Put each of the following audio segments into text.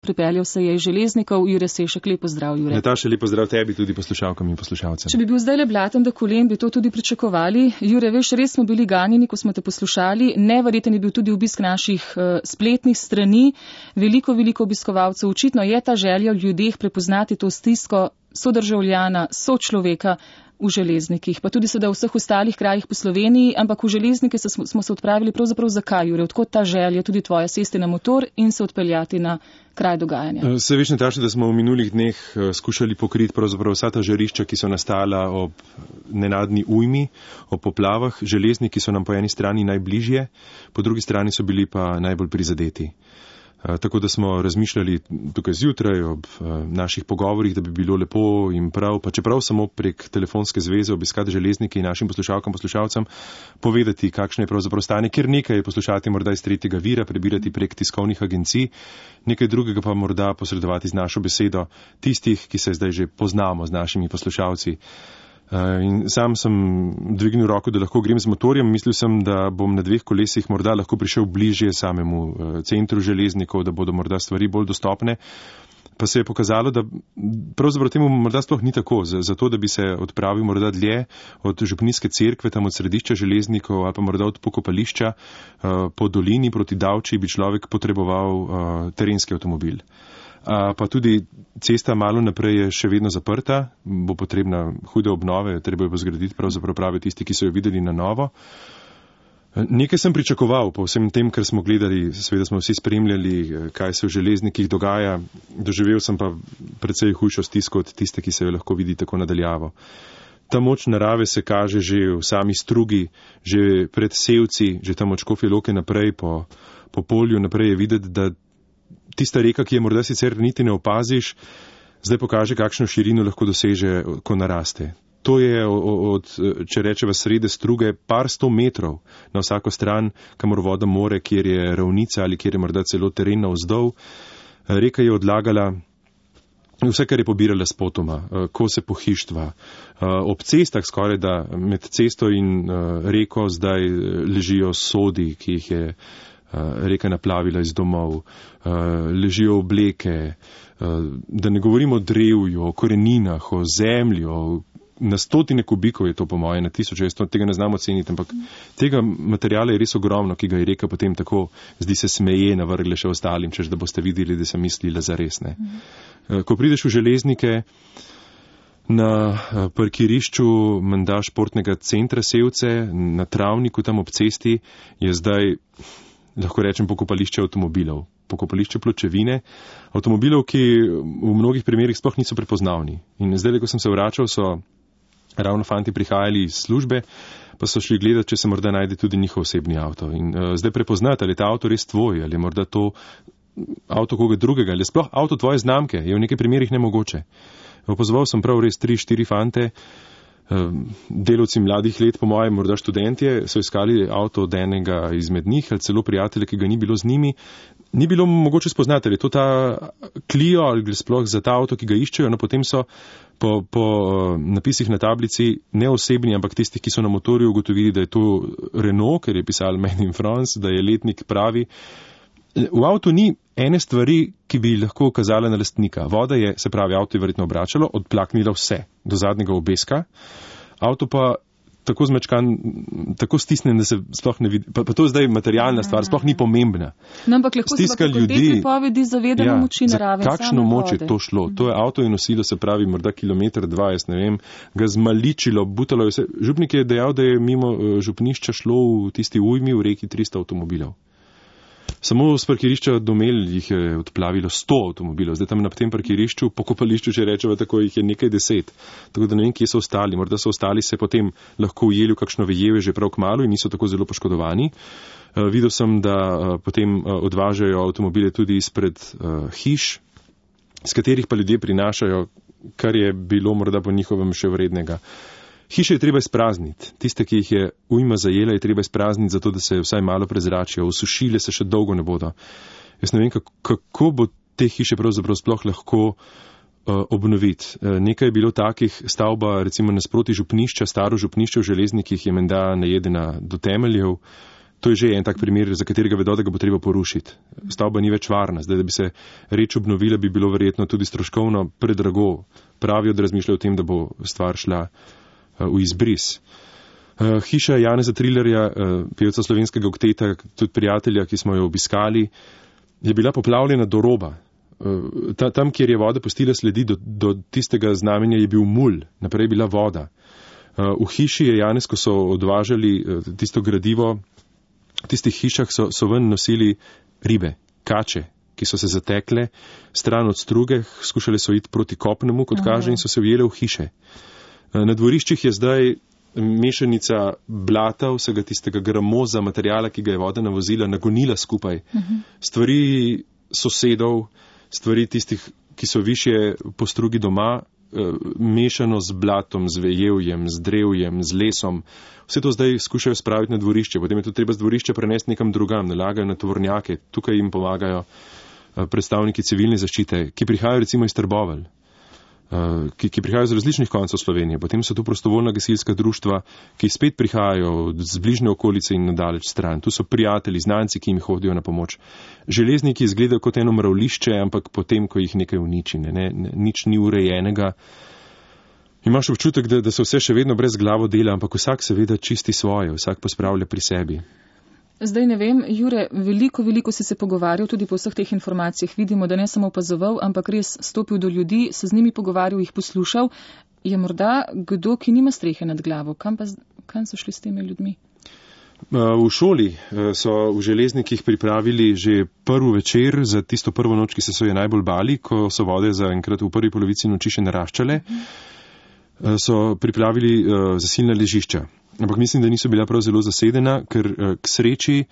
pripeljal se je iz Železnikov. Jure Sešek, lep pozdrav, Jure. Nataša, lep pozdrav tebi, tudi poslušalkam in poslušalcem. Če bi bil zdaj le blaten do kolen, bi to tudi pričakovali. Jure, veš, res smo bili ganjeni, ko smo te poslušali. Neverjeten je bil tudi obisk naših spletnih strani. Veliko obiskovalcev. Očitno je ta želja v ljudeh prepoznati to stisko sodržavljana, sočloveka v Železnikih, pa tudi seveda v vseh ostalih krajih po Sloveniji, ampak v Železnike smo se odpravili pravzaprav zakaj, Jure? Odkot ta želja tudi tvoja sesti na motor in se odpeljati na kraj dogajanja? Se veš, Nataša, da smo v minulih dneh skušali pokriti pravzaprav vsa ta žarišča, ki so nastala ob nenadni ujmi, ob poplavah. Železniki so nam po eni strani najbližje, po drugi strani so bili pa najbolj prizadeti. Tako da smo razmišljali tukaj zjutraj ob naših pogovorih, da bi bilo lepo in prav, pa čeprav samo prek telefonske zveze obiskati Železnike in našim poslušalcem povedati, kakšno je pravzaprav stanje, ker nekaj je poslušati morda iz tretjega vira, prebirati prek tiskovnih agencij, nekaj drugega pa morda posredovati z našo besedo tistih, ki se zdaj že poznamo z našimi poslušalci. In sam sem dvignil roko, da lahko grem z motorjem. Mislil sem, da bom na 2 kolesih morda lahko prišel bližje samemu centru Železnikov, da bodo morda stvari bolj dostopne. Pa se je pokazalo, da pravzaprav temu morda sploh ni tako. Zato, da bi se odpravil morda dlje od Župnijske cerkve, tam od središča Železnikov ali pa morda od pokopališča po dolini proti Davči, bi človek potreboval terenski avtomobil. Pa tudi cesta malo naprej je še vedno zaprta, bo potrebna hude obnove, treba jo bo zgraditi, pravzaprav pravijo tisti, ki so jo videli na novo. Nekaj sem pričakoval po vsem tem, kar smo gledali, seveda smo vsi spremljali, kaj se v Železnikih dogaja, doživel sem pa precej hujšo stisko od tiste, ki se jo lahko vidi tako nadaljavo. Ta moč narave se kaže že v sami strugi, že pred Sevci, že tam od Škofje Loke naprej po polju naprej je videti, da tista reka, ki je morda sicer niti ne opaziš, zdaj pokaže, kakšno širino lahko doseže, ko naraste. To je če rečeva srede struge, par 100 metrov na vsako stran, kamor voda more, kjer je ravnica ali kjer je morda celo teren navzdol. Reka je odlagala vse, kar je pobirala spotoma, kose pohištva. Ob cestah skoraj da med cesto in reko zdaj ležijo sodi, ki jih je reka naplavila iz domov, ležijo obleke, da ne govorimo o drevju, o koreninah, o zemlji, na 100 kubikov je to po moje, na 1000, jaz tega ne znam oceniti, ampak tega materijala je res ogromno, ki ga je reka potem tako, zdi se smeje, navrgle še ostalim, češ da boste videli, da sem mislila za resne. Ko prideš v Železnike, na parkirišču menda športnega centra Sevce, na travniku tam ob cesti, je zdaj, lahko rečem, pokopališče avtomobilov, pokopališče pločevine, avtomobilov, ki v mnogih primerih sploh niso prepoznavni. In zdaj, ko sem se vračal, so ravno fanti prihajali iz službe, pa so šli gledati, če se morda najde tudi njihov osebni avto. In zdaj prepoznati, ali je ta avto res tvoj, ali je morda to avto koga drugega, ali je sploh avto tvoje znamke, je v nekaj primerih nemogoče. Opazoval sem prav res 3-4 fante, delavci mladih let, po mojem, morda študentje, so iskali avto od enega izmed njih ali celo prijatelja, ki ga ni bilo z njimi. Ni bilo mogoče spoznati, ali je to ta Clio ali gre sploh za ta avto, ki ga iščejo, no potem so po napisih na tablici neosebni, ampak tisti, ki so na motorju ugotovili, da je to Renault, ker je pisal Made in France, da je letnik pravi. V avtu ni ene stvari, ki bi lahko kazala na lastnika. Voda je, se pravi, avto je verjetno obračalo, odplaknila vse do zadnjega obeska. Avto pa tako zmečkan, tako stisnen, da se sploh ne vidi. Pa to je zdaj materialna stvar, sploh ni pomembna. No, ampak lahko stiska se pa ljudi, te pripovedi zavedamo moči narave. Kakšno moč je to šlo? To je avto in nosilo, se pravi, morda 1,2 kilometra, jaz ne vem, ga zmaličilo, butalo je vse. Župnik je dejal, da je mimo župnišča šlo v tisti ujmi v reki 300 avtomobilov. Samo z parkirišča Domel jih je odplavilo 100 avtomobilov. Zdaj tam na tem parkirišču, pokopališču, če rečeva tako, jih je nekaj 10. Tako da ne vem, kje so ostali. Morda so ostali se potem lahko ujeli v kakšno vejeve že prav kmalu in niso tako zelo poškodovani. Videl sem, da potem odvažajo avtomobile tudi izpred hiš, s katerih pa ljudje prinašajo, kar je bilo morda po njihovem še vrednega. Hiše je treba izprazniti. Tiste, ki jih je ujma zajela, je treba izprazniti, zato da se vsaj malo prezračijo. Usušile se še dolgo ne bodo. Jaz ne vem, kako bo te hiše pravzaprav sploh lahko obnoviti. Nekaj je bilo takih, stavba recimo nasproti župnišča, staro župnišče v Železnikih je menda najedena do temeljev. To je že en tak primer, za katerega vedo, da ga bo treba porušiti. Stavba ni več varna. Zdaj, da bi se reč obnovila, bi bilo verjetno tudi stroškovno predrago. Pravijo, da razmišljajo o tem, da bo stvar šla v izbris. Hiša Janeza Trillerja, pevca slovenskega okteta, tudi prijatelja, ki smo jo obiskali, je bila poplavljena do roba. Tam, kjer je voda pustila sledi, do tistega znamenja je bil mulj, naprej je bila voda. V hiši je Janez, ko so odvažali tisto gradivo, v tistih hišah so ven nosili ribe, kače, ki so se zatekle stran od struge, skušali so iti proti kopnemu, kot kaže, in so se ujele v hiše. Na dvoriščih je zdaj mešanica blata, vsega tistega gramoza, materijala, ki ga je voda navozila, nagonila skupaj. Stvari sosedov, stvari tistih, ki so višje po strugi doma, mešano z blatom, z vejevjem, z drevjem, z lesom. Vse to zdaj skušajo spraviti na dvorišče, potem je to treba z dvorišča prenesti nekam drugam, nalagajo na tovornjake, tukaj jim pomagajo predstavniki civilne zaščite, ki prihajajo recimo iz Trbovelj, ki prihajajo z različnih koncev Slovenije. Potem so tu prostovoljna gasilska društva, ki spet prihajajo z bližnje okolice in nadaleč stran. Tu so prijatelji, znanci, ki jim hodijo na pomoč. Železniki izgledajo kot eno mravlišče, ampak potem, ko jih nekaj uniči, nič ni urejenega. Imaš občutek, da se vse še vedno brez glavo dela, ampak vsak seveda čisti svoje, vsak pospravlja pri sebi. Zdaj ne vem, Jure, veliko si se pogovarjal tudi po vseh teh informacijah. Vidimo, da ne samo opazoval, ampak res stopil do ljudi, se z njimi pogovarjal, jih poslušal. Je morda kdo, ki nima strehe nad glavo? Kam so šli s temi ljudmi? V šoli so v Železnikih pripravili že prvi večer za tisto prvo noč, ki so je najbolj bali, ko so vode zaenkrat v prvi polovici noči še naraščale. So pripravili zasilna ležišča. Ampak mislim, da niso bila prav zelo zasedena, ker k sreči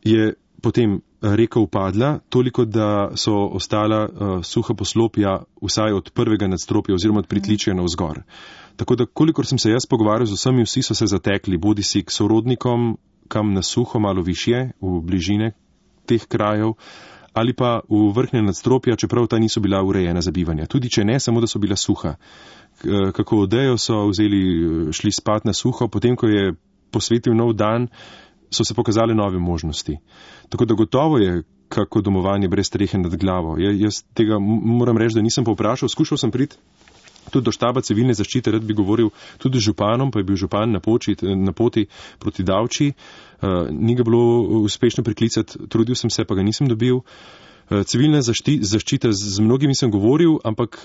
je potem reka upadla, toliko, da so ostala suha poslopja vsaj od prvega nadstropja oziroma od pritličja navzgor. Tako da, kolikor sem se jaz pogovarjal z vsemi, vsi so se zatekli, bodi si k sorodnikom, kam na suho, malo višje, v bližine teh krajev, ali pa v vrhnje nadstropja, čeprav ta niso bila urejena za bivanje. Tudi če ne, samo da so bila suha. Kako odejo so šli spat na suho, potem, ko je posvetil nov dan, so se pokazale nove možnosti. Tako da gotovo je kako domovanje brez strehe nad glavo. Jaz tega moram reči, da nisem povprašal, skušal sem priti tudi do štaba civilne zaščite, rad bi govoril tudi z županom, pa je bil župan na poti proti Davči. Ni ga bilo uspešno priklicati, trudil sem se, pa ga nisem dobil. Civilna zaščita, z mnogimi sem govoril, ampak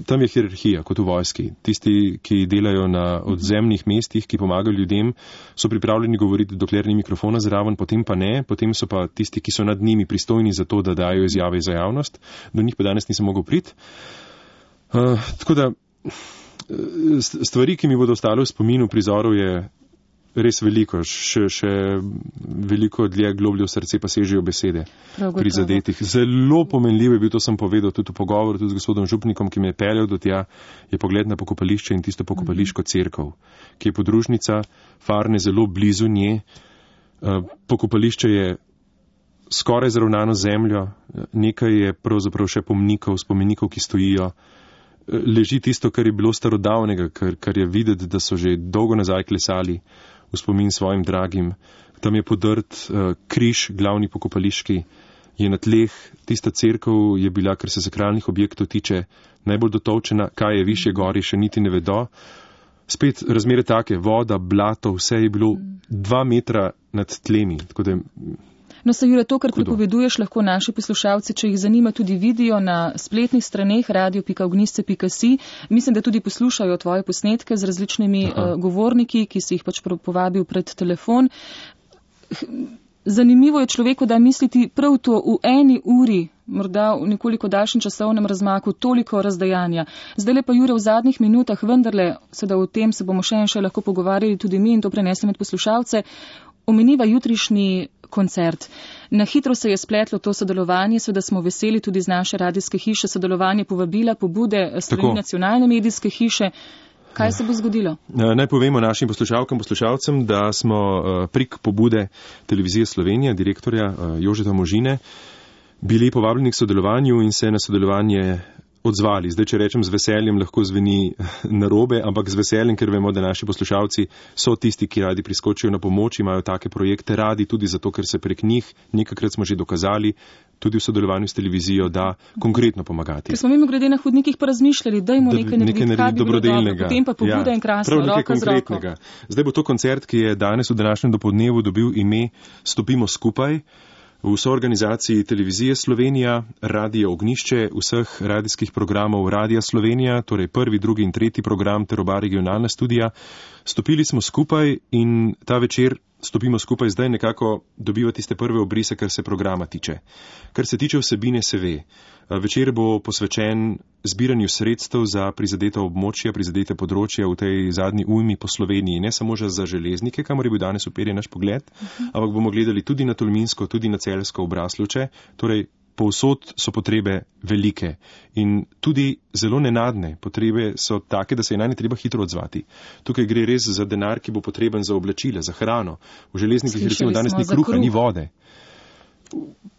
tam je hierarhija, kot v vojski. Tisti, ki delajo na odzemnih mestih, ki pomagajo ljudem, so pripravljeni govoriti, dokler ni mikrofona zraven, potem pa ne, potem so pa tisti, ki so nad njimi pristojni za to, da dajo izjave za javnost. Do njih pa danes nisem mogel priti. Tako da stvari, ki mi bodo ostale v spominu prizorov, je res veliko, še veliko dlje globlje v srce pa sežijo besede prizadetih. Zelo pomenljivo je bil, to sem povedal tudi v pogovoru tudi z gospodom župnikom, ki me je peljal do tja, je pogled na pokopališče in tisto pokopališko cerkev, ki je podružnica Farne zelo blizu nje. Pokopališče je skoraj zravnano zemljo, nekaj je pravzaprav še spomenikov, ki stojijo. Leži tisto, kar je bilo starodavnega, kar je videti, da so že dolgo nazaj klesali v spomin svojim dragim. Tam je podrt križ, glavni pokopališki, je na tleh. Tista cerkev je bila, kar se sakralnih objektov tiče, najbolj dotolčena, kaj je višje gori, še niti ne vedo. Spet razmere take, voda, blato, vse je bilo 2 metra nad tlemi. Tako da No, se Jure, to, kar pripoveduješ, lahko naši poslušalci, če jih zanima, tudi vidijo na spletnih straneh radio.ognjišče.si. Mislim, da tudi poslušajo tvoje posnetke z različnimi govorniki, ki si jih pač povabil pred telefon. Zanimivo je človeku, da misliti prav to v 1 uri, morda v nekoliko daljšem časovnem razmaku, toliko razdajanja. Zdaj pa, Jure, v zadnjih minutah, vendarle, seveda o tem se bomo še in še lahko pogovarjali tudi mi in to prenesli med poslušalce, omeniva jutrišnji koncert. Na hitro se je spletlo to sodelovanje, seveda smo veseli tudi z naše radijske hiše, sodelovanje povabila, pobude strani nacionalne medijske hiše. Kaj se bo zgodilo? Naj povemo našim poslušalcem, da smo prek pobude Televizije Slovenija, direktorja Jožeta Možine, bili povabljeni k sodelovanju in se na sodelovanje odzvali. Zdaj, če rečem z veseljem, lahko zveni narobe, ampak z veseljem, ker vemo, da naši poslušalci so tisti, ki radi priskočijo na pomoč, imajo take projekte radi, tudi zato, ker se prek njih, nekajkrat smo že dokazali, tudi v sodelovanju s televizijo, da konkretno pomagati. Ker smo mimogrede na hodnikih pa razmišljali, dajmo nekaj narediti, kaj bi bilo dobro, potem pa pobuda in krasno, roka z roko. Zdaj bo to koncert, ki je danes v današnjem dopoldnevu dobil ime Stopimo skupaj. V soorganizaciji Televizije Slovenija, Radio Ognjišče, vseh radijskih programov Radija Slovenija, torej 1., 2. in 3. program ter oba regionalna studija. Stopili smo skupaj in ta večer Stopimo skupaj zdaj nekako dobiva tiste prve obrise, kar se programa tiče. Kar se tiče vsebine, se ve. Večer bo posvečen zbiranju sredstev za prizadeta območja, prizadete področja v tej zadnji ujmi po Sloveniji. Ne samo za železnike, kamor je bil danes uperjen naš pogled, ampak bomo gledali tudi na Tolminsko, tudi na Celjsko, Braslovče. Torej, povsod so potrebe velike in tudi zelo nenadne. Potrebe so take, da se je na nje treba hitro odzvati. Tukaj gre res za denar, ki bo potreben za oblačila, za hrano. V železnikih recimo danes ni kruha, ni vode.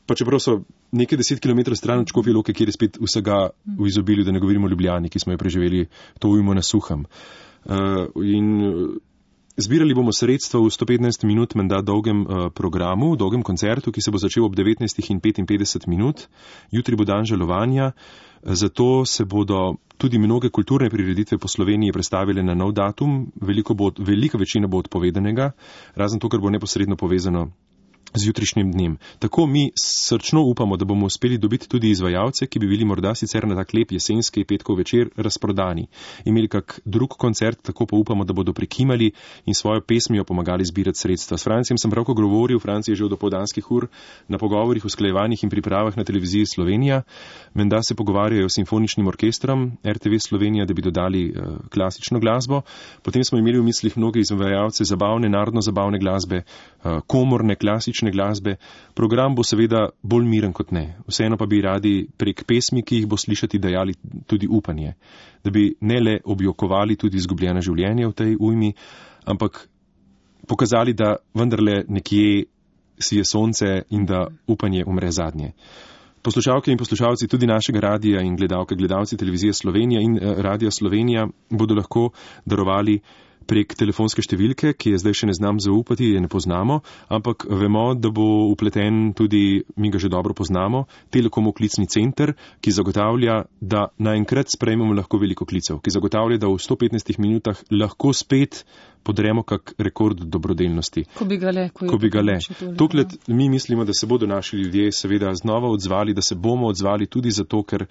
Pa čeprav so nekaj 10 km stran od Škofje Loke, kjer je spet vsega v izobilju, da ne govorimo o Ljubljani, ki smo jo preživeli to ujmo na suhem. Zbirali bomo sredstva v 115 minut menda dolgem programu, dolgem koncertu, ki se bo začel ob 19:55 minut. Jutri bo dan žalovanja, zato se bodo tudi mnoge kulturne prireditve po Sloveniji predstavile na nov datum. Velika večina bo odpovedanega, razen to, kar bo neposredno povezano z jutrišnjim dnem. Tako mi srčno upamo, da bomo uspeli dobiti tudi izvajalce, ki bi bili morda sicer na tak lep jesenski petkov večer razprodani. Imeli kak drug koncert, tako pa upamo, da bodo prikimali in svojo pesmijo pomagali zbirati sredstva. S Francijem sem pravko govoril, Franci je že od dopoldanskih ur na pogovorih, usklajevanjih in pripravah na Televiziji Slovenija. Menda se pogovarjajo s simfoničnim orkestrom RTV Slovenija, da bi dodali klasično glasbo. Potem smo imeli v mislih mnoge izvajalce zabavne, narodno-zabavne glasbe, komorne, klasične glasbe. Program bo seveda bolj miren kot ne. Vseeno pa bi radi prek pesmi, ki jih bo slišati, dajali tudi upanje. Da bi ne le objokovali tudi izgubljena življenja v tej ujmi, ampak pokazali, da vendarle nekje sije sonce in da upanje umre zadnje. Poslušalke in poslušalci tudi našega radija in gledalci Televizije Slovenija in Radija Slovenija bodo lahko darovali prek telefonske številke, ki je zdaj še ne znam zaupati, je ne poznamo, ampak vemo, da bo upleten tudi, mi ga že dobro poznamo, Telekomov klicni center, ki zagotavlja, da naenkrat sprejmemo lahko veliko klicev, ki zagotavlja, da v 115 minutah lahko spet podremo kak rekord dobrodelnosti. Ko bi ga le. Tokrat mi mislimo, da se bodo naši ljudje seveda znova odzvali, da se bomo odzvali tudi zato, ker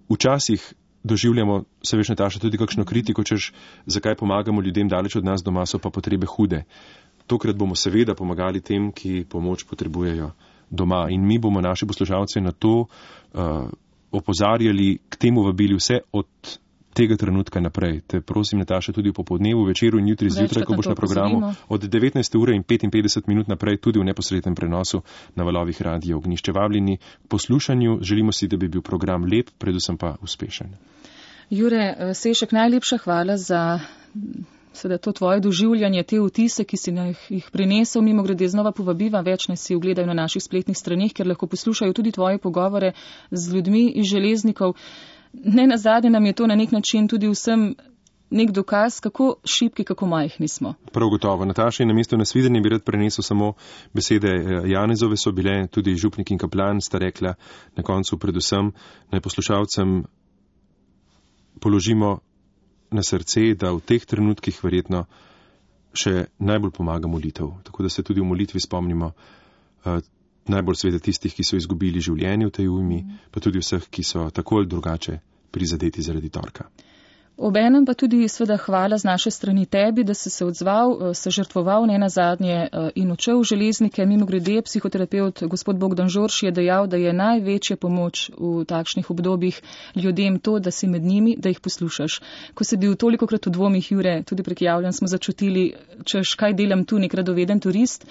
včasih doživljamo, se veš, Nataša, tudi kakšno kritiko, češ zakaj pomagamo ljudem daleč od nas doma, so pa potrebe hude. Tokrat bomo seveda pomagali tem, ki pomoč potrebujejo doma in mi bomo naše poslušalce na to opozarjali, k temu vabili vse od tega trenutka naprej. Te prosim, Nataša, tudi v popoldnevu, večeru in jutri zjutraj, ko boš na programu od 19:55 naprej, tudi v neposrednem prenosu na valovih Radio Ognjišče. Vabljeni k poslušanju, želimo si, da bi bil program lep, predvsem pa uspešen. Jure Sešek, najlepša hvala za to tvoje doživljanje, te vtise, ki si jih prinesel. Mimogrede znova povabiva, več naj si ogledajo na naših spletnih straneh, ker lahko poslušajo tudi tvoje pogovore z ljudmi iz železnikov. Ne nazadnje nam je to na nek način tudi vsem nek dokaz, kako šibki, kako majhni smo. Prav gotovo. Nataša, in namesto nasvidenja bi rad prenesel samo besede Janezove, so bile tudi župnik in kaplan, sta rekla na koncu predvsem naj poslušalcem položimo na srce, da v teh trenutkih verjetno še najbolj pomaga molitev. Tako da se tudi v molitvi spomnimo najbolj seveda tistih, ki so izgubili življenje v tej ujmi, pa tudi vseh, ki so tako ali drugače prizadeti zaradi torka. Obenem pa tudi seveda hvala z naše strani tebi, da si se odzval, se žrtvoval ne nazadnje in odšel v železnike. Mimogrede, psihoterapeut gospod Bogdan Žorš je dejal, da je največja pomoč v takšnih obdobjih ljudem to, da si med njimi, da jih poslušaš. Ko si bil tolikokrat v dvomih, Jure, tudi prek javljanj smo začutili, češ kaj delam tu, nek radoveden turist.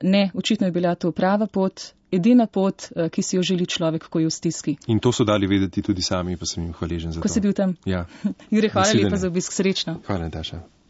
Ne, očitno je bila to prava pot, edina pot, ki si jo želi človek, ko je v stiski. In to so dali vedeti tudi sami, pa sem jim hvaležen za to. Ko si bil tam? Ja. Jure, hvala lepa za obisk, srečno. Hvala, Nataša.